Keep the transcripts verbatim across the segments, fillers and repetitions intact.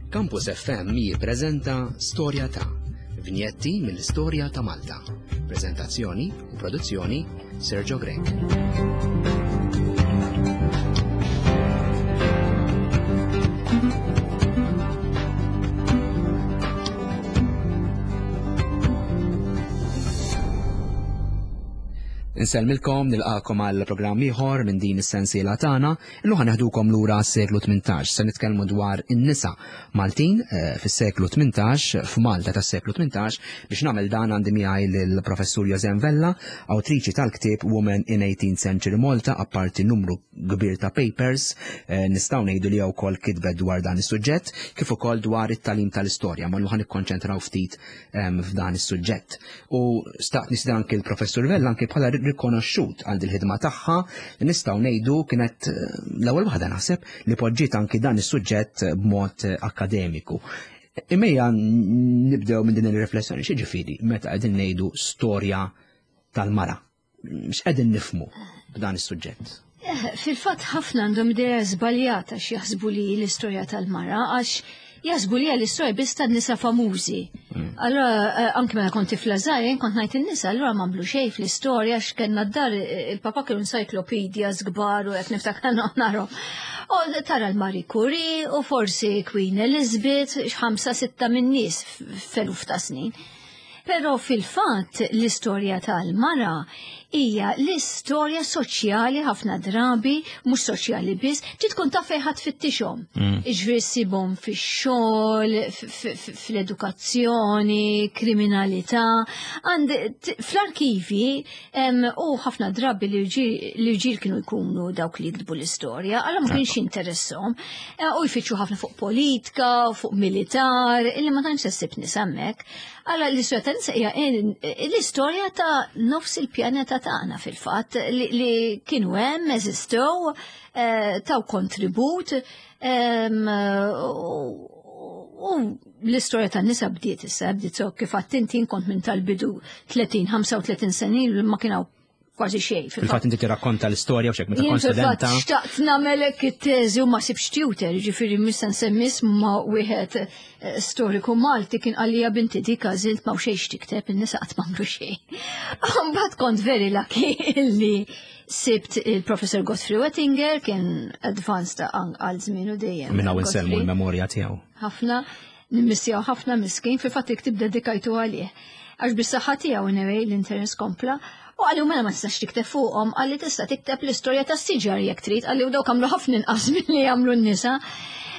Campus F M jippreżenta Storja ta' Vinjetti mill-Istorja ta' Malta. Prezentazzjoni u produzzjoni, Sergio Grech. Insellmilkom, nilqagħkom għal programm ieħor minn din is-sensiela tagħna. Illum ħa neħdukom lura s-seklu tmintax. Se nitkellmu dwar in-nisa Maltin eh, fis-seklu tmintax, f'Malta tas-seklu tmintax. Biex nagħmel dan għandi miegħi lill-Professur Josem Vella, awtriċi tal-ktieb Women in eighteenth Century Malta, apparti numru kbir ta' papers, eh, nistgħu ngħidu li wkoll kitbet dwar dan is-suġġett, kif ukoll dwar it-tagħlim tal-istorja, ma ħa nikkonċentraw ftit em, f'dan is-suġġett. U staqt nistieden anki l-Professur Vella anki bħala rikonoxxut għal il-ħidma tagħha li nistgħu ngħidu kienet eh, l-ewwel waħda, naħseb, li poġġiet anki dan is-suġġett b'mod eh, akkademiku. Imma nibdew minn din ir-riflessjoni, x'jiġifieri meta qegħdin ngħidu storja tal-mara? X'qegħdin nifhmu b'dan is-suġġett? Eh, Fil-fatt ħafna għandhom idea żbaljata x'jaħsbu li l-istorja tal-mara, għax jaħsbu li l-istorja biss tan-nisa famużi. Allora, eh, anke meta kont tifla żgħira, kont ngħid in-nisa allura m'għamlu xejn fl-istorja, x'kellna d-dar, eh, il-papa kienu encyclopedias kbar u qed niftakar narahom. U tara l-Marie Curie u forsi Queen Elizabeth, ħamsa sitta minn nies f'eluf ta' snin. Però fil-fatt l-istorja tal-mara hija l-istorja soċjali ħafna drabi, mhux soċjali biss, trid tkun taf fejn ħa tfittixhom. Iġifieri ssibhom fix-xogħol, f- f- fl-edukazzjoni, kriminalità. Għand t- fl-arkivi em, u ħafna drabi l-irġiel kienu jkunu dawk li jiktbu l-istorja, allura ma kienx jinteressahom. Eh, U jfittxu ħafna fuq politika, fuq militar, illi ma tantx ssib nisa hemmhekk. Allura l-istorja ta' nisa hija l-istorja ta' nofs il-pjaneta tagħna fil-fatt li, li kienu hemm, eżistew, eh, taw kontribut, em, u u l-istorja tan nisa bdiet issa, bdiet so kif għedt inti kont minn tal-bidu tletin, ħamsa u tletin sena ma kien hawn kważi xejn. Fil-fatt inti tirrakkonta l-istorja u xek meta Jien kont fil-fatt studenta. xtaqt nagħmelek it-teżi u ma sibx tutor, ġifieri mista nsemmi ma wieħed eh, storiku Malti kien qalli, "Binti, dik għażilt ma xejn tikteb, in-nisa qatt m'għamlu xejn." Mbagħad kont very lucky illi sibt il-Professor Godfrey Wettinger, kien advanced għal żmienu dejjem. Minn hawn insellmu Godfrey. l-memorja tiegħu. Ħafna, nimmissjaw ħafna miskin, fil-fatt il-ktieb dedikajtu għalih. Għax bis-saħħa tiegħu anyway l-interess kompla. U qalli, "Mela ma tistax tikteb fuqhom," qalli, "tista' tikteb l-istorja tas-siġar jekk trid," qalli, "u dawk għamlu ħafna inqas milli jagħmlu n-nisa."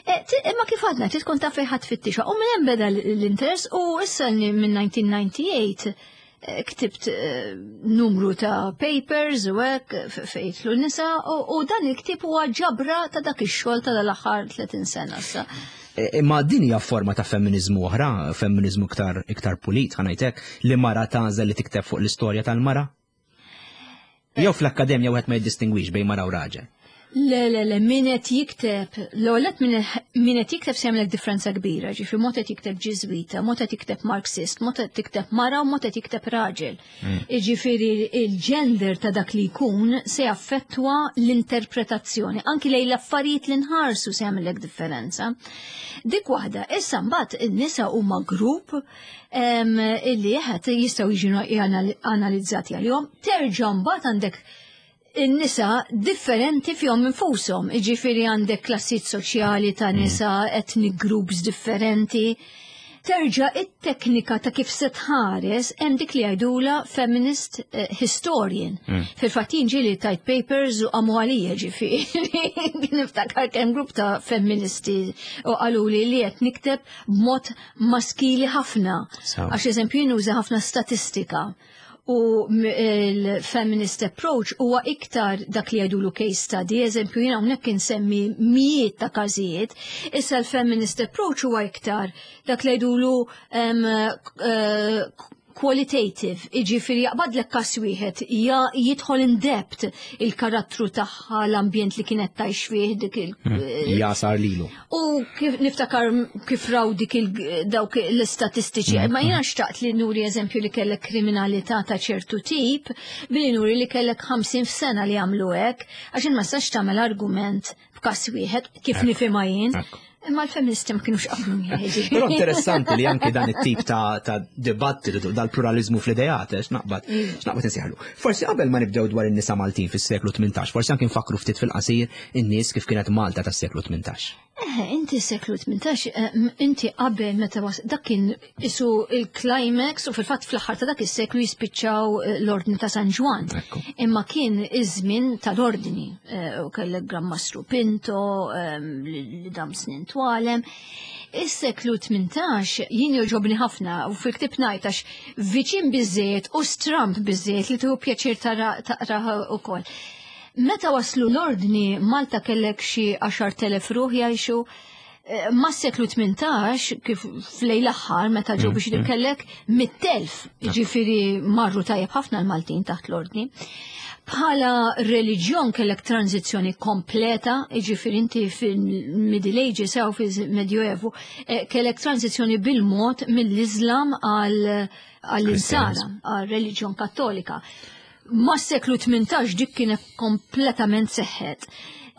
E, ti- Imma kif għadna, trid tkun taf fejn ħa tfittixha. U minn hemm beda l-interess u issa minn elf disa' mija u disgħa u disgħin eh, ktibt eh, numru ta' papers u hekk f- fejn jidħlu nisa u u dan il-ktieb huwa ġabra ta' dak ix-xogħol ta' l-aħħar tletin sena issa. E, Imma din hija forma ta' femminizmu oħra, femminizmu iktar iktar pulit, ħa ngħidlek, li mara tagħżel li tikteb fuq l-istorja tal-mara? Jew fl-akkademja wieħed ma jiddistingwix bejn mara u raġel? Le, le, le, min qed jikteb, l-għolet min qed jikteb se jagħmlek differenza kbira, ġifieri mod qed jikteb Ġiżwita, mod qed jikteb Marxist, mod qed jikteb mara u mod qed jikteb raġel. Ġifieri il-gender ta' dak li jkun se jaffettwa l-interpretazzjoni, anki lejn l-affarijiet li nħarsu se jagħmlek differenza. Dik waħda, issa mbagħad in-nisa huma grupp em, illi jeħed jistgħu jiġu analizzati għalihom, terġa' mbagħad għandek in-nisa differenti fihom infushom, iġifieri għandek klassijiet soċjali ta' nisa, ethnic groups differenti. Terġa' it-teknika ta' kif se tħares, hemm dik li jgħidula feminist eh, historian. Fil-fatt jien ġieli tajt papers u qamu għalija, ġifieri. Niftakar kemm grupp ta' feministi u qaluli li qed nikteb b'mod maskili ħafna. Sawa. Għax eżempju jien nuża ħafna statistika u m- il-feminist approach huwa iktar dak li jgħidulu case study, eżempju jiena hawnhekk insemmi mijiet ta' każijiet, issa l-feminist approach huwa iktar dak li jgħidulu um, uh, qualitative, iġifieri jaqbadlek kas wieħed, ja jidħol in depth il-karattru tagħha, l-ambjent li kienet tgħix fih dik il- Jasar lilu. U kif niftakar kif raw dik il- dawk l-istatistiċi, ma jiena xtaqt li nuri eżempju li kellek kriminalità ta' ċertu tip, billi nuri li kellek ħamsin f'sena li għamlu hekk, għax ma tistax tagħmel argument b'każ wieħed kif nifhimha jien. Ekku. Imma l-feministi ma kienux qablu miegħi. Però interessanti li anki dan it-tip ta' ta' dibattitu dal-pluralizmu fl-ideat, eh, x'naqbad, x'naqbad insejħlu. Forsi qabel ma nibdew dwar in-nisa Maltin fis-seklu tmintax, forsi anki nfakru ftit fil-qasir in-nies kif kienet Malta tas-seklu tmintax. Eh, inti seklu tmintax, eh, inti qabel meta was, dak kien isu il-climax u fil-fatt fl-aħħar ta' dak is-seklu jispiċċaw eh, l-Ordni ta' San Ġwann. Ekku. Imma kien iż-żmien tal-ordni, eh, u kellek Gran Mastru Pinto, ehm, li li dam snin twalem. Is-seklu tmintax jien joġobni ħafna u fil-ktieb ngħid għax viċin biżejjed u stramp biżejjed li tieħu pjaċir tara taqrah ukoll. Meta waslu l-ordni, Malta kellek xi għaxart elef ruħ jgħixu, eh, ma' seklu tmintax, kif flej l-aħħar, meta ġew biex kellek mitt elf, ġifieri marru tajjeb ħafna l-Maltin taħt l-ordni. Bħala reliġjon kellek tranzizzjoni kompleta, ġifieri inti fil-Middle Ages jew fil-Medjoevu, eh, kellek tranzizzjoni bil-mod mill-Islam għal għall-Insara, għal reliġjon Kattolika. Ma' seklu tmintax dik kienet kompletament seħħet.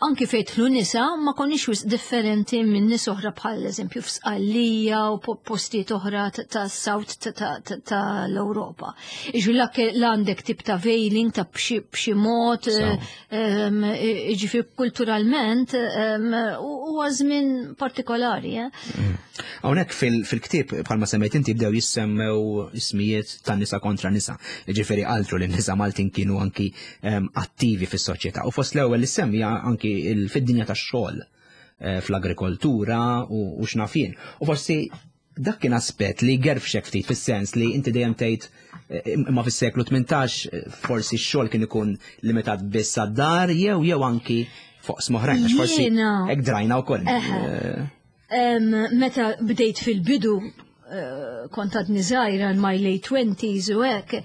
Anki fejn jidħlu nisa ma konniex wisq differenti minn nies oħra bħal eżempju f'Sqallija u po- postijiet oħra ta' ta' South ta' ta' ta' ta' l-Ewropa. Iġu l għandek tip ta' veiling ta' b'xi b'xi mod, So. ehm, ġifieri kulturalment ehm, huwa żmien partikolari. Eh? Hawnhekk fil- fil-ktieb bħalma semmejt inti bdew jissemmew ismijiet ta' nisa kontra nisa. Ġifieri altru li nisa Maltin kienu anki em, attivi fis-soċjetà. U fost l-ewwel li semmi anki il- fid-dinja tax-xogħol eh, fl-agrikoltura u u x'naf jien. U forsi dak kien aspett li gerfxek ftit fis-sens li inti dejjem tgħid eh, imma fis-seklu tmintax eh, forsi x-xogħol kien ikun limitat biss għad-dar jew jew anki fuq oħrajn għax forsi Jiena- hekk drajna wkoll. Eħe. Eh, Em, Meta bdejt fil-bidu, eh, kont għadni żgħira in my late twenties u hekk,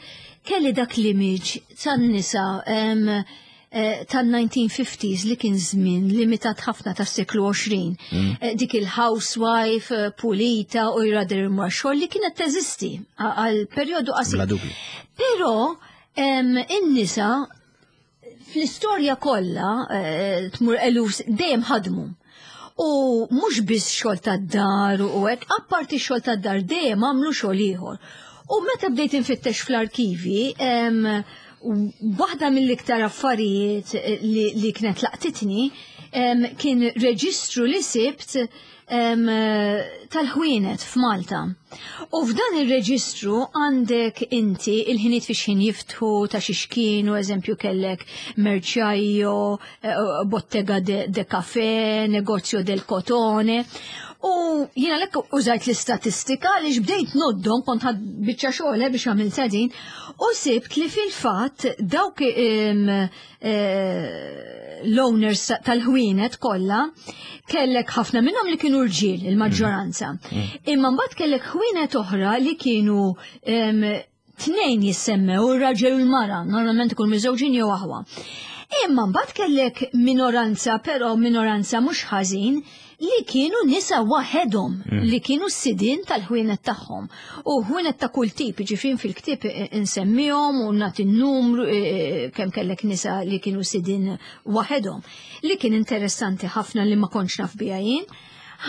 kelli dak l-image tan-nisa em, eh, tan-nineteen fifties li kien żmien limitat ħafna tas-seklu għoxrin. Eh, Dik il-housewife eh, pulita u jradir xogħol li kienet teżisti għal perjodu qasir. Bla dubju. Però em, in-nisa fl-istorja kollha eh, tmur eluf dejjem ħadmu. U mhux biss xogħol tad-dar u hekk, apparti xogħol tad-dar dejjem għamlu xogħol ieħor. U meta bdejt infittex fl-arkivi, em, waħda mill-iktar affarijiet li, li kienet laqtitni em, kien reġistru li sibt em, tal-ħwienet f'Malta. U f'dan il-reġistru għandek inti il-ħiniet fi xħin jiftħu ta' xi kienu, eżempju kellek merciaio, eh, bottega de, de caffè, negozio del cotone. U jiena lek użajt l-istatistika li bdejt ngħoddhom, kont ħadt biċċa xogħol eh, biex għamilt din, u sibt li fil-fatt dawk em, eh, l-owners tal-ħwienet kollha kellek ħafna minnhom li kienu rġiel il-maġġoranza. Imma mbagħad kellek ħwienet oħra li kienu em, tnejn jissemmew, ir-raġel u l-mara, normalment ikun miżewġin jew aħwa. Imma mbagħad kellek minoranza, però minoranza mhux ħażin, li kienu nisa waħedhom, li kienu s-sidin tal-ħwienet tagħhom. U ħwienet ta' kull tip, ġifieri fil-ktieb insemmihom u nagħti n-numru eh, kemm kellek nisa li kienu sidin waħedhom. Li kien interessanti ħafna li ma kontx naf biha jien.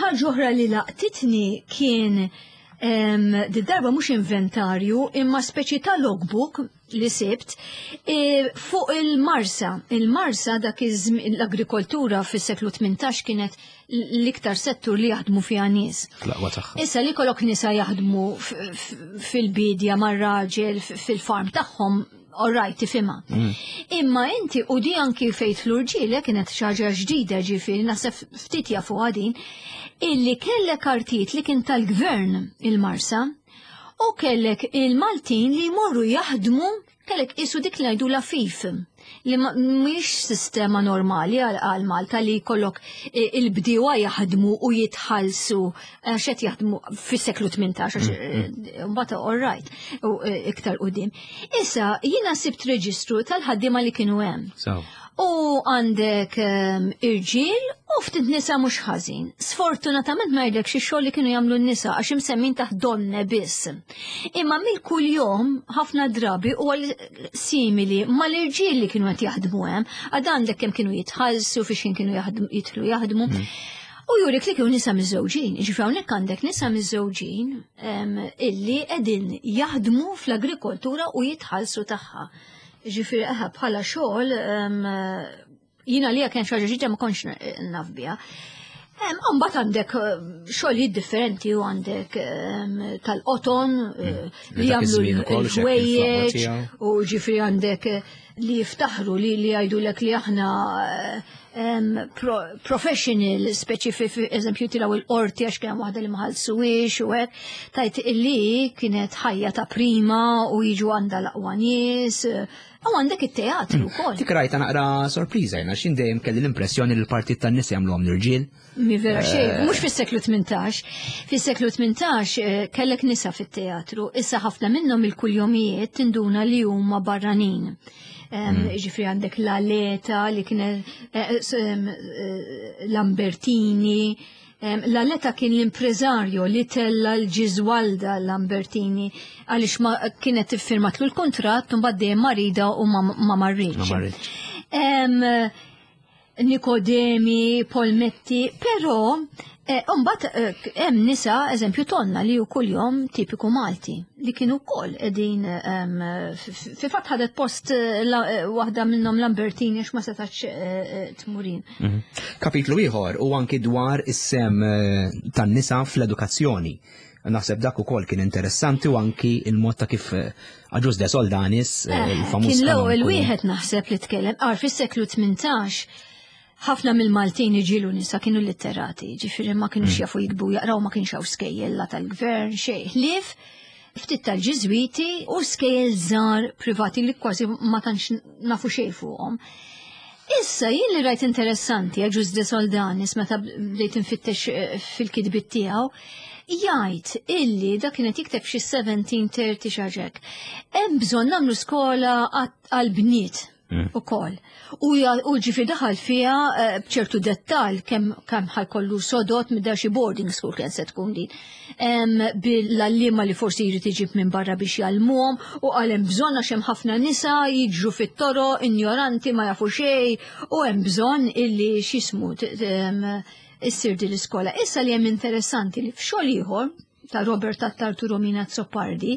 Ħaġa oħra li laqtitni kien em, di darba mhux inventarju imma speċi ta' logbook li sibt e, fuq il-Marsa. Il-Marsa dak iż-żmien, l-agrikoltura fis-seklu tmintax kienet l-iktar settur li jaħdmu fiha nies. Fl-aqwa tagħha. Issa li kollok nisa jaħdmu f- f- fil-bidja mar-raġel f- fil-farm tagħhom, all right, tifhimha. Imma inti u di anki fejn l-irġiel kienet xi ħaġa ġdida, ġifieri naħseb ftit jafu għadin, illi kellek artijiet li kien tal-gvern il-Marsa u kellek il-Maltin li jmorru jaħdmu, kellek isu dik li ngħidu la fif li ma- mhix sistema normali għal għal Malta li jkollok eh, il-bdiewa jaħdmu u jitħallsu għax qed jaħdmu fis-seklu tmintax, għax eh, mbagħad all right u eh, iktar qudiem. Issa jiena sibt reġistru tal-ħaddiema li kienu hemm. So. U għandek um, irġiel u ftit nisa mhux ħażin. Sfortunatament ma jgħidlek xi xogħol li kienu jagħmlu n-nisa għax imsemmin taħt donne biss. Imma mill-kull jom ħafna drabi huwa simili mal-irġiel li kienu qed jaħdmu hemm, għad għandek kemm kienu jitħallsu, fiex kienu jaħdmu jidħlu jaħdmu. U jurik li kienu nisa miżżewġin, ġifieri hawnhekk għandek nisa miżżewġin illi qegħdin jaħdmu fl-agrikoltura u jitħallsu tagħha. Ġifieri eħe bħala xogħol jiena li kien xi ħaġa ġdida ma kontx naf biha. Mbagħad għandek eh, xogħlijiet differenti u għandek tal-qoton eh, mm. li jagħmlu l-ħwejjeġ u ġifieri għandek eh, li jiftaħru li li jgħidulek li aħna pro, professional speċi eżempju tilgħu il-qorti għax kien waħda li ma ħallsuhiex u hekk tajt illi kienet ħajja ta' prima u jiġu għandha l-aqwa nies. U għandek it-teatru mm. wkoll. Dik rajta naqra sorpriża jiena x'in dejjem kelli l-impressjoni li l-partit tan-nies jagħmluhom l-irġiel. Mi vera xejn, eh. mhux fis-seklu tmintax. Fis-seklu tmintax eh, kellek nisa fit-teatru, issa ħafna minnhom il-kuljomijiet tinduna li huma barranin. Mm. Ġifri għandek l-Aleta li kienet eh, eh, Lambertini. L-Aleta kien l-impreżarju li tella l-Ġiżwalda Lambertini għaliex ma kienet iffirmatlu l-kuntratt u mbagħad dejjem marida u ma marritx. Nikodemi, Polmetti, però eh, mbagħad eh, hemm nisa, eżempju tonna li hu kuljom tipiku Malti li kienu wkoll qegħdin fi fatt ħadet post eh, waħda minnhom Lambertini għax ma setax tmurin. Mhm. Kapitlu ieħor u anki dwar is-sem tan-nisa fl-edukazzjoni. Naħseb dak ukoll kien interessanti u anki il-mod ta' kif Agius de Soldanis, il-famuż. Kien l-ewwel wieħed naħseb li tkellem, għar fis-seklu tmintax ħafna mill-Maltin iġilu nisa kienu litterati, ġifieri ma kienux mm. jafu jiktbu jaqraw, ma kienx hawn skejjel la tal-gvern xejn. Ħlief ftit tal-Ġiżwiti u skejjel żgħar privati li kważi ma tantx nafu xejn fuqhom. Issa jien li rajt interessanti Agius de Soldanis meta bdejt infittex eh, fil-kitbiet tiegħu, jgħid illi dak kienet jikteb xi seventeen thirty xaġek. Hemm bżonn nagħmlu skola għall-bniet mm. ukoll. U ġifieri daħal fiha eh, b'ċertu dettal kemm kemm ħajkollu sodot minn xi boarding school kien se tkun din. Bil-għalliema li forsi jrid iġib minn barra biex jgħallmuhom u qal hemm bżonn għax hemm ħafna nisa jiġru fit-toro, ignoranti ma jafu xejn u hemm bżonn illi x'ismu issir din l-iskola. Issa li hemm interessanti li f'xogħol ieħor ta' Robert Attard u Romina Azzopardi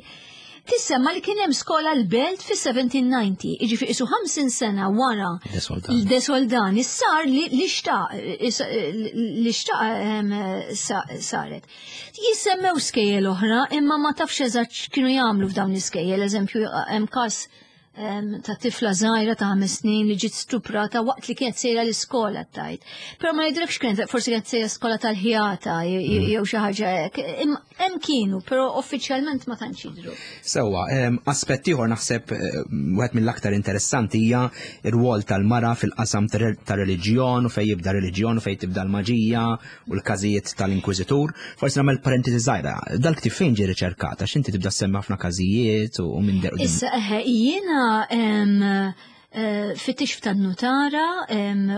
tissemma li kien hemm skola l-Belt fis-seventeen ninety, jiġifieri isu ħamsin sena wara l-De Soldani sar li xtaq li xtaq saret. Jissemmew skejjel oħra imma ma tafx eżatt x'kienu jagħmlu f'dawn l-iskejjel, eżempju hemm każ ta' tifla żgħira ta' ħames snin li ġiet stuprata waqt li kienet sejra l-iskola tajt. Però ma jidrekx kienet forsi kienet sejra skola tal-ħjata mm. jew xi ħaġa hekk. Hemm kienu, però uffiċjalment ma tantx jidhru. Sewwa, aspett ieħor naħseb eh, wieħed mill-aktar interessanti hija r-rwol tal-mara fil-qasam tar-reliġjon u fejn jibda reliġjon u fejn tibda l-maġija u l-każijiet tal-Inkwiżitur. Forsi nagħmel parentesi żgħira, dal-ktieb fejn ġie riċerkat għax inti tibda semmi ħafna każijiet u minn der. Issa eħe jiena eh, fittix tan-nutara,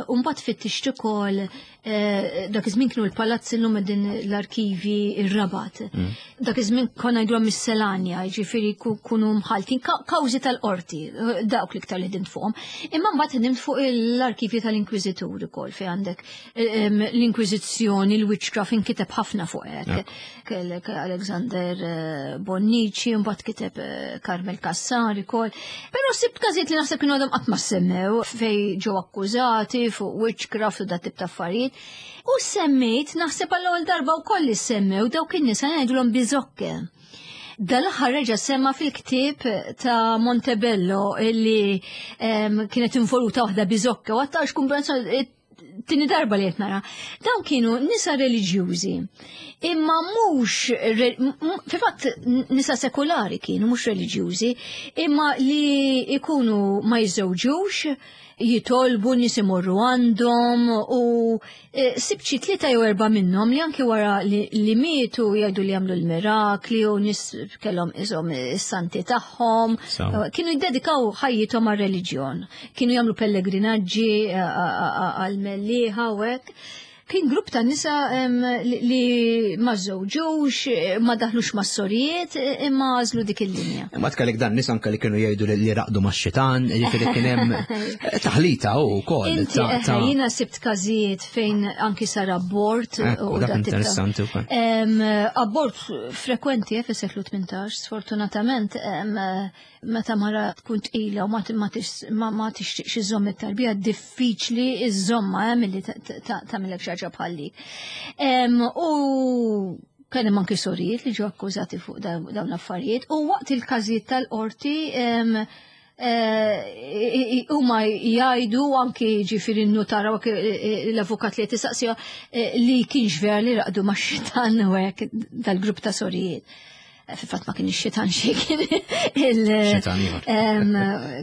u mbagħad fittixt ukoll eh, dak iż-żmien kienu l-palazzi llum din l-arkivi ir-Rabat. Mm. Dak iż-żmien konna ngħidu miscellanea, jiġifieri kunu mħaltin kawżi tal-qorti, dawk l-iktar li ħdimt fuqhom. Imma mbagħad ħdimt fuq l-arkivi tal-Inkwiżitur ukoll fejn għandek l-Inkwiżizzjoni, l-witchcraft inkiteb ħafna fuq hekk. Kellek Alexander eh, Bonnici, mbagħad kiteb eh, Carmel Cassar ukoll. Però sibt każijiet li naħseb kienu għadhom qatt ma semmew fej ġew akkużati fuq witchcraft u dat tip ta' affarijiet. U semmejt naħseb għall-ewwel darba wkoll li semmew dawk in-nisa ngħidulhom biżokke. Dal-aħħar reġa' semma fil-ktieb ta' Montebello illi kienet involuta waħda biżokke u għattax kumpensa tini darba li qed nara. Dawn kienu nisa reliġjużi, imma mhux fil-fatt nisa sekulari kienu mhux reliġjużi, imma li ikunu ma jiżżewġux, jitolbu nies imorru għandhom u e, sibt xi tlieta jew erba' minnhom li anki wara li mietu jgħidu li jagħmlu l-mirakli u nies kellhom iżhom is-santi tagħhom. Kienu jiddedikaw ħajjithom għar-reliġjon. Kienu jagħmlu pellegrinaġġi għal-Mellieħa u hekk. Kien grupp ta' nisa li ma żewġux, ma daħlux ma' sorijiet, imma għażlu dik il-linja. Ma tkellek dan nisa anke li kienu jgħidu li raqdu ma' xitan, jiġifieri kien hemm taħlita u wkoll. Inti jiena sibt każijiet fejn anki sar abort. U dak interessanti wkoll. Abort frekwenti eh, fis-seklu tmintax, sfortunatament, meta mara tkun tqila u ma tixtieqx iżomm it-tarbija, diffiċli iżomma eh, milli tagħmilek xi ħaġa bħal dik. U kien hemm anki sorijiet li ġew akkużati fuq dawn l-affarijiet u waqt il-każijiet tal-qorti eh, huma jgħidu anki ġifieri n-nutara l-avukat li tisaqsija eh, li kienx vera li raqdu ma' xitan u hekk dal-grupp ta' sorijiet. Fil-fatt ma kienx xitan xi kien il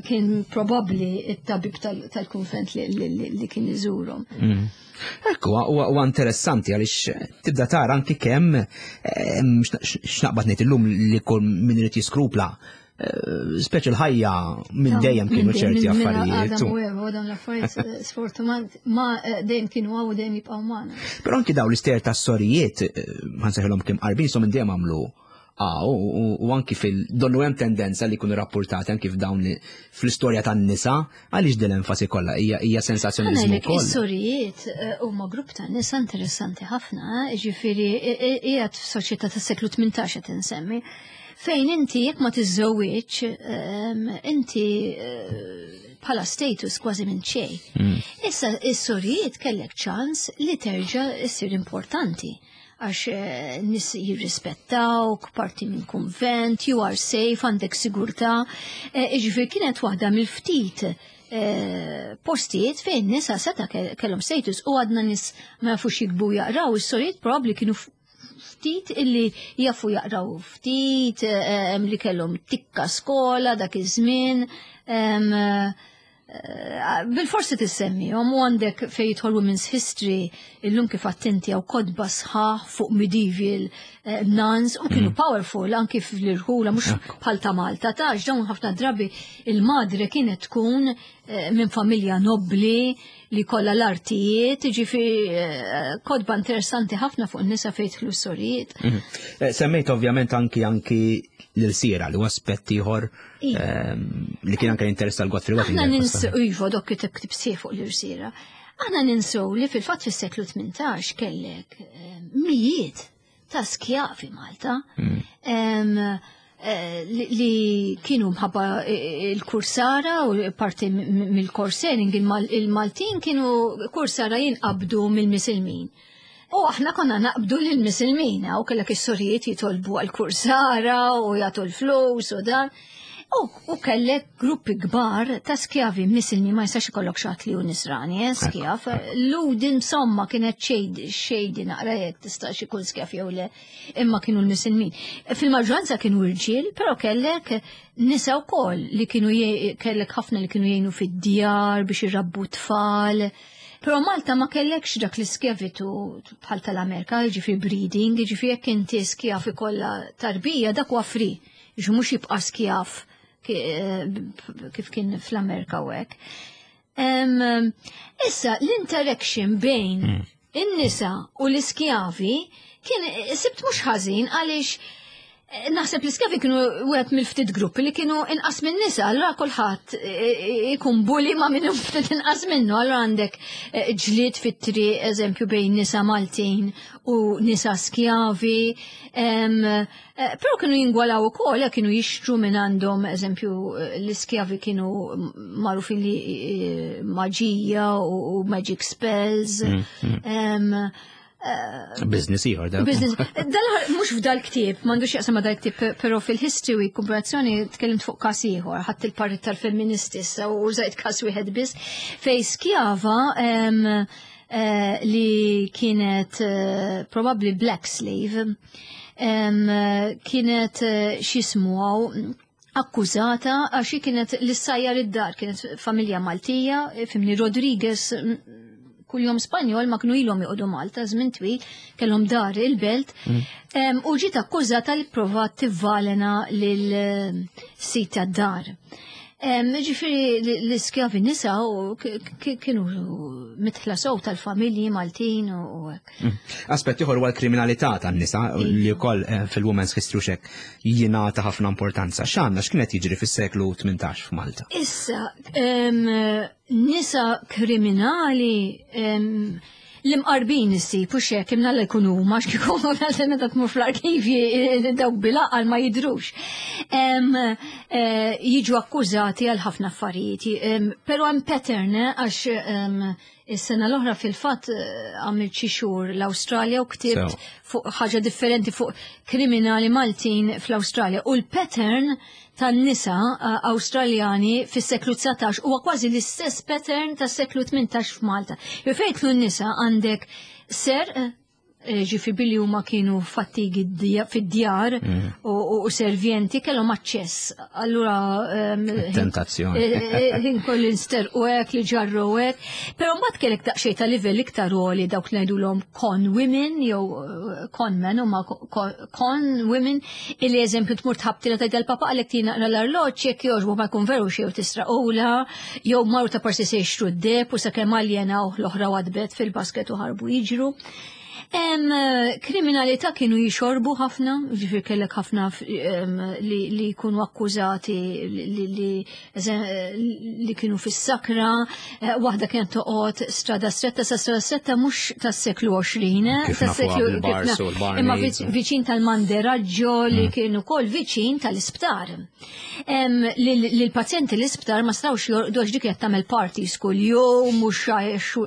kien probabbli it-tabib tal-kunvent li kien iżurhom. Mm. Ekku, huwa interessanti għaliex tibda tara anki kemm x'naqbad ngħid illum li kull min irid jiskrupla, speċi l-ħajja minn dejjem kienu ċerti affarijiet. Adam u Eva, dawn l-affarijiet sfortunat ma dejjem kienu għaw u dejjem jibqgħu magħna. Però anki dawn l-istejjer tas-sorijiet, ħansejħilhom kim qarbin, so minn dejjem għamlu u anki fil-donnu hemm tendenza li jkunu rapportati anki f'dawn fl-istorja tan-nisa, għaliex din l-enfasi kollha hija sensazzjonizmu wkoll. Is-sorijiet huma grupp ta' nisa interessanti ħafna, ġifieri qiegħed f'soċjetà tas-seklu tmintax qed insemmi, fejn inti jekk ma tiżżewwiġ, inti bħala status kważi minn xejn. Issa is-sorijiet kellek ċans li terġa' issir importanti għax nis jirrispettawk, parti minn konvent, you are safe, għandek sigurtà. Ġifieri kienet waħda mill-ftit postijiet fejn nisa seta kellhom status u għadna nis ma jafux jiktbu jaqraw, is-sorijiet probabbli kienu ftit illi jafu jaqraw ftit, li kellhom tikka skola dak iż-żmien. Bil-forsi tissemmi, u għandek fej jidħol Women's History, illum kif attenti għaw kotba sħaħ fuq medieval nuns, u kienu powerful anki fl-irħula, mux bħal ta' Malta, ta' dawn ħafna drabi il-madre kienet tkun minn familja nobli li kollha l-artijiet, ġifieri kotba interessanti ħafna fuq nisa fejn jidħlu sorijiet. Semmejt ovvjament anki anki l-sira li huwa aspett ieħor li kien anke interess tal-Godfrey Aħna ninsew, iva, dok kiteb ktib sieħ fuq l-irsira. Aħna ninsew li fil-fatt fis-seklu tmintax kellek mijiet ta' skjavi Malta li kienu mħabba il-kursara u parti mill-corsairing, il-Maltin kienu kursara jinqabdu mill-Misilmin. U aħna konna naqbdu lill-Misilmin, u kellek is-sorijiet jitolbu għal-kursara u jagħtu l-flus u dan. U kellek gruppi kbar ta' skjavi misilmi, ma jistax ikollok xi ħadd li hu nisrani, eh, skjav. Ludi insomma kienet xejdi naqra jekk tistax ikun skjav jew le, imma kienu l-misilmin. Fil-maġġoranza kienu rġiel, però kellek nisa wkoll li kienu kellek ħafna li kienu jgħinu fid-djar biex irabbu tfal. Però Malta ma kellekx dak l-iskjavitu bħal tal-Amerika, ġifieri breeding, ġifieri jekk inti skjav ikollha tarbija dak huwa free, ġifieri mhux jibqa' skjav kif kien fl-Amerika u hekk. Issa l-interaction bejn in-nisa u l-iskjavi kien sibt mhux ħażin għaliex naħseb l-iskjavi kienu wieħed mill-ftit gruppi li kienu inqas minn nisa, allura kulħadd ikun bully ma' minnu ftit inqas minnu, allura għandek ġlied fit-triq, eżempju, bejn nisa Maltin u nisa skjavi. Però kienu jingwalaw ukoll, kienu jixtru minn għandhom, eżempju, l-iskjavi kienu magħrufin li maġija u magic spells. Business ieħor dak. Business. Mhux f'dal ktieb, m'għandux jaqsam ma' dal-ktieb, però fil-history week komparazzjoni tkellimt fuq każ ieħor, ħadd il-parrit tal-feministi issa u użajt każ wieħed biss, fej skjava li kienet probabbli black slave, kienet x'ismu akkużata għax hi kienet l-sajjar id-dar, kienet familja Maltija, fimni Rodriguez, kuljum Spanjol ma kienu ilhom joqogħdu Malta żmien twil, kellhom dar il-belt, u ġiet akkużata li provat tivvalena lil sit tad-dar. Ġifieri l-iskjavi nisa u kienu mitħla sew tal-familji Maltin u hekk. Mm. Aspett ieħor huwa l-kriminalità tan-nisa li wkoll eh, fil-Women's History xek jingħata ħafna importanza. X'għandna, x'kienet jiġri fis-seklu tmintax f'Malta? Issa, nisa kriminali l-imqarbin issib u xek imnalla jkunu huma x'kieku meta tmur fl-arkivji dawk bil-għaqal ma jidrux. Eh, jiġu akkużati għal ħafna affarijiet, però hemm pattern, eh, għax is-sena l-oħra fil-fatt eh, għamilt xi xhur l-Awstralja u ktibt fuq ħaġa differenti, fuq kriminali Maltin fl-Awstralja, u l-pattern tan-nisa eh, Awstraljani fis-seklu dsatax huwa kważi l-istess pattern tas-seklu tmintax f'Malta. Fejtlu n-nisa għandek ser eh, ġifi billi huma kienu fattigi fid-djar mm. u servjenti kellhom aċċess. Allura tentazzjoni. Ħin kollu nster u hekk li ġarru hekk. Però mbagħad kellek daqsxejn ta' livell iktar għoli, dawk li ngħidulhom con women jew con men, huma con women illi, eżempju, tmur tħabtila tgħid l-papa għalek tina l-arloġġ jekk jogħġbu, ma jkun veru xejn tisraqula, jew marru ta' parsi se jixtru d-deheb u sakemm aljenaw l-oħra wadbet fil-basket u ħarbu jiġru. Em, kriminalità kienu jixorbu ħafna, ġifir kellek ħafna li, li jkunu akkużati li, li, li kienu fis-sakra, eh, waħda kienet toqgħod Strada Stretta, sa Strada Stretta mhux tas-seklu għoxrin, eh, tas-seklu imma viċin tal-Manderaggio li mm. kienu kol viċin tal-isptar. L-pazjenti l-isptar ma stawx jorqdu għax dik qed tagħmel parties kull jum, mhux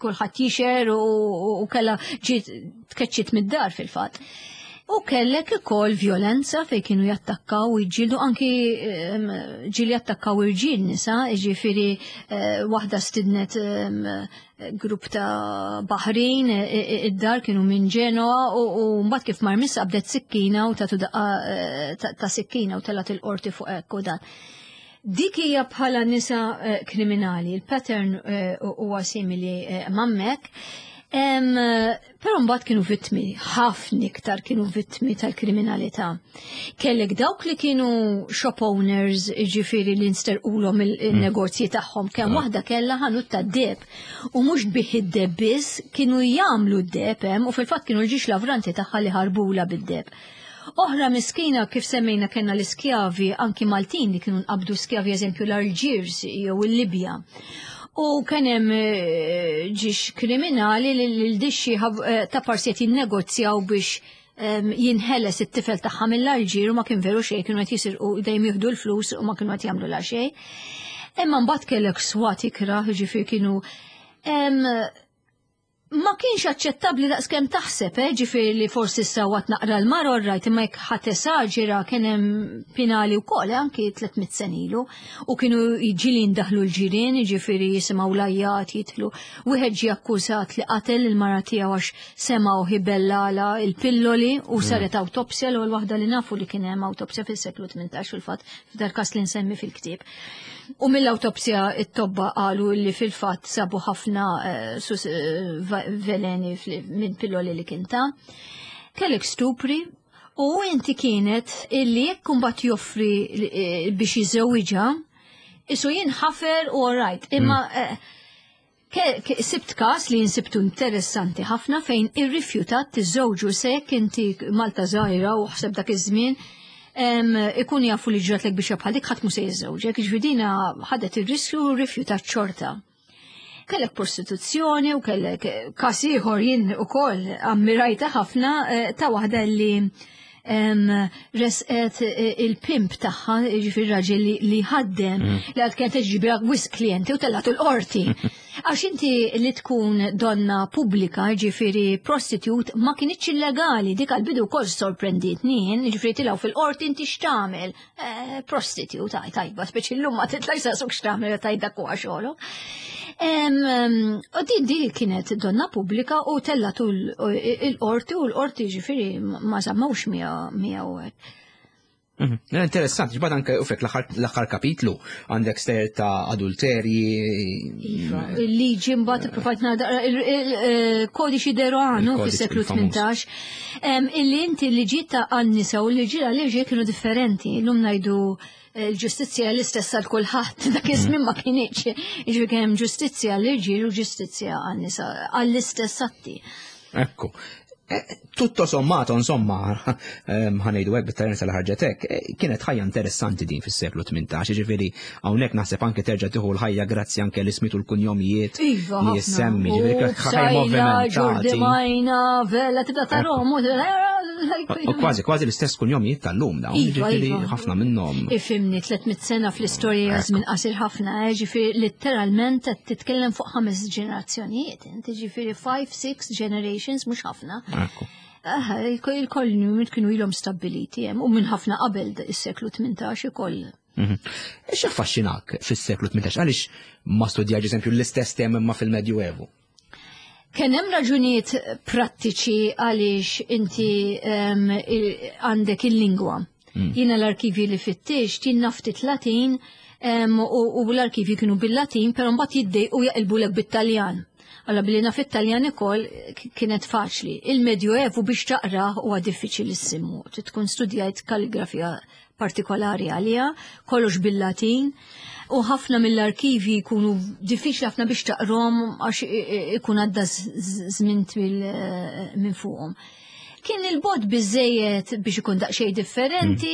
kulħadd jixer u kellha ġiet tkeċċit mid-dar fil-fatt. U kellek ukoll violenza fej kienu jattakkaw u jġildu, anki ġieli jattakkaw irġiel nisa, ġifieri eh, waħda stidnet grupp ta' baħrin id-dar, kienu minn Ġenoa, u mbagħad kif mar missa qabdet sikkina u tatu daqqa eh, ta' sikkina u telgħet il-qorti fuq hekk u dan. Dik hija bħala nisa eh, kriminali, il-pattern huwa simili m'hemmhekk. Però mbagħad kienu vittmi, ħafna iktar kienu vittmi tal-kriminalità. Kellek dawk li kienu shop owners, ġifieri li nsterqulhom il-negozji tagħhom, kemm waħda kellha ħanut tad-deheb u mhux bih id-deheb biss, kienu jagħmlu d-deheb hemm u fil-fatt kienu l-ġiex lavranti tagħha li ħarbula bid-deheb. Oħra miskina, kif semmejna, kellna l-iskjavi anki Maltin li kienu nqabdu skjavi, eżempju, l-Alġiers jew il-Libja. U kien hemm eh, ġiex kriminali li l-dixxi eh, ta' parsiet jinnegozjaw biex jinħeles it-tifel tagħha mill-Alġir u ma kien veru xejn, kienu qed jisirqu, dejjem jieħdu l-flus u ma kienu qed jagħmlu la xejn. Imma mbagħad kellek swat ikrah, ġifier kienu ma kienx aċċettabbli daqskemm taħseb, eh, ġifieri li forsi sawat naqra l-mara, rajt, imma jekk ħadd esaġera kien hemm penali wkoll, eh, anki tliet mitt sena ilu, u kienu ġieli ndaħlu l-ġirien, ġifieri jisimgħu l-għajjat jidħlu. Wieħed ġie akkużat li qatel il-mara tiegħu għax semgħu jbellagħlha il-pilloli u mm. saret awtopsja, l-ewwel waħda li nafu li kien hemm awtopsja fis-seklu tmintax fil-fatt, f'dal każ li nsemmi fil-ktieb. U mill-awtopsja it-tobba qalu li fil-fatt sabu ħafna eh, eh, veleni minn pilloli li kien ta. Kellek stupri u inti kienet illi jekk kumbat joffri eh, biex jiżewwiġha, isu jinħafer u right. Imma mm. sibt kas li jinsibtu interessanti ħafna fejn irrifjutat tiżżewġu se jekk inti Malta żgħira u ħseb dak iż-żmien ikun jafu li ġratlek biex bħal dik, ħadd mu se jiżżewġek, ġifieri ħadet ir-riskju u rrifjutat xorta. Kellek prostituzzjoni u kellek kas ieħor jien ukoll ammirajta ħafna, eh, ta' waħda li resqet eh, il-pimp tagħha, ġifieri raġel li ħaddem, mm. li għad kienet ġibra wisq klienti u tellatu l-qorti. Għax inti li tkun donna pubblika, ġifieri prostitute, ma kienx illegali, dik għal-bidu kol sorprenditni, ġifieri tilgħu fil-qorti, inti x'tagħmel? Eh, prostitute, taj, tajba, speċi l-lum ma titlaj sasuk x'tagħmel, tajda kwa xogħlu. U din di kienet donna pubblika u tellatu l-qorti u l-qorti ġifieri ma żammawx miegħu. Mhm. Interessanti, ġbad anke ufek l-aħħar kapitlu għandek stejjer ta' adulterji. Iva, il-liġi mbagħad ippruvajt naqra il-kodiċi de Rohan fis-seklu tmintax. Illi inti l-liġi ta' għan-nisa u l-liġi għal-irġiel kienu differenti. Illum ngħidu l-ġustizzja l-istess għal kulħadd, dak iż-żmien ma kinitx. Jiġifieri kien hemm ġustizzja għall-irġiel u ġustizzja għan-nisa għall-istess atti. Ekku. Tutto sommato, insomma, ħa ngħidu hekk bit-Taljan li ħarġet hekk, kienet ħajja interessanti din fis-seklu tmintax, jiġifieri hawnhekk naħseb anke terġa' tieħu l-ħajja grazzi anke l-ismiet u l-kunjomijiet Iva, li jissemmi, ġifieri ħajja movimentati. Ġurdimajna, Vella, tibda tarahom, U kważi kważi l-istess kunjomijiet tal-lum dawn, Iva, ġifieri iva. ħafna minnhom. Ifhimni, tliet mitt sena fl-istorja żmien qasir ħafna, eh, ġifieri letteralment qed titkellem fuq ħames ġenerazzjonijiet, inti ġifieri five, six generations mhux ħafna. Ekku. Ah, il-kolonji kienu ilhom stabbiliti hemm u minn ħafna qabel is-seklu tmintax ukoll. Mhm. X'affaxxinak fis-seklu tmintax? Għaliex ma studjajt eżempju l-istess tema imma fil-Medjuevu? Kien hemm raġunijiet prattiċi għaliex inti em, il- għandek il-lingwa. Jiena l-arkivi li fittixt, jien naf ftit Latin em, u, u l-arkivi kienu bil-Latin, però mbagħad jiddejqu jaqilbulek bit-Taljan. Alla billi naf it-Taljan ukoll kienet faċli. Il-Medjuevu biex taqra huwa diffiċilissimu. Trid tkun studjajt kalligrafija partikolari għalija, kollox bil-Latin, u ħafna mill-arkivi jkunu diffiċli ħafna biex taqrom għax i- i- ikun għadda żmien twil eh, minn fuqhom. Kien il-bogħod biżżejjed biex ikun daqsxejn differenti,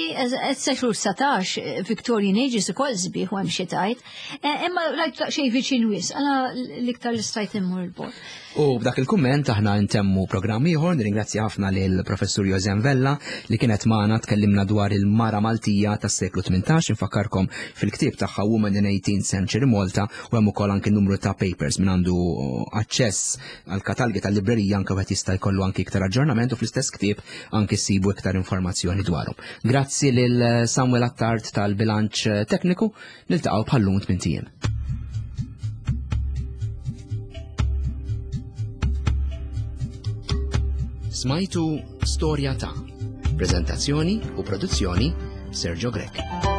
s-seklu satax, Victorian Ages ukoll sbieħ u hemm xi tajt, eh, imma rajt daqsxejn viċin wisq, għala l-iktar li stajt immur il-bogħod. U b'dak il-kumment aħna ntemmu programm ieħor, nirringrazzja ħafna lil professur Josem Vella li kienet magħna tkellimna dwar il-mara Maltija tas-seklu tmintax, infakkarkom fil-ktieb tagħha Women in eighteenth Century Malta, u hemm ukoll anke numru ta' papers minn għandu aċċess għal katalgi tal-librerija anke wieħed jista' jkollu anke iktar aġġornament, u fl-istess ktieb anke ssibu iktar informazzjoni dwarhom. Grazzi lil Samuel Attard tal-bilanċ tekniku, niltaqgħu bħallum tmint ijiem. Smajtu Storja ta' prezentazzjoni u produzzjoni Sergio Grech.